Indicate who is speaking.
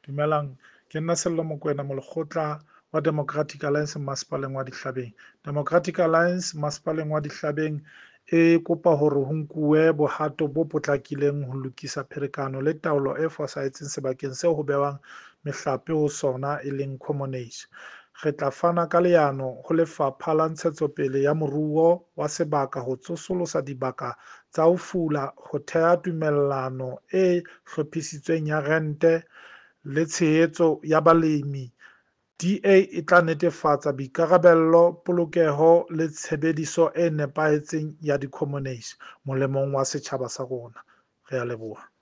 Speaker 1: Dumelang, ke nna Sello Mokoena, molekgotla wa Democratic Alliance Masepaleng wa Dihlabeng. Democratic Alliance Masepaleng wa Dihlabeng e kopa hore ho nkuwe bohato bo potlakileng ho lokisa pherekano le taolo e fosahetseng sebakeng seo ho behwang mehlape ho sona, e leng commonage. Re tla fana ka leano ho Lefapha la Ntshetsopele ya Moruo wa Sebaka ho tsosolosa dibaka tsa ho fula, ho theha tumellano e hlophisitsweng ya rente le tshehetso ya balemi. DA e tla netefatsa boikarabello, polokeho le tshebediso e nepahetseng ya di-commonage molemong wa setjhaba sa rona. Re a leboha.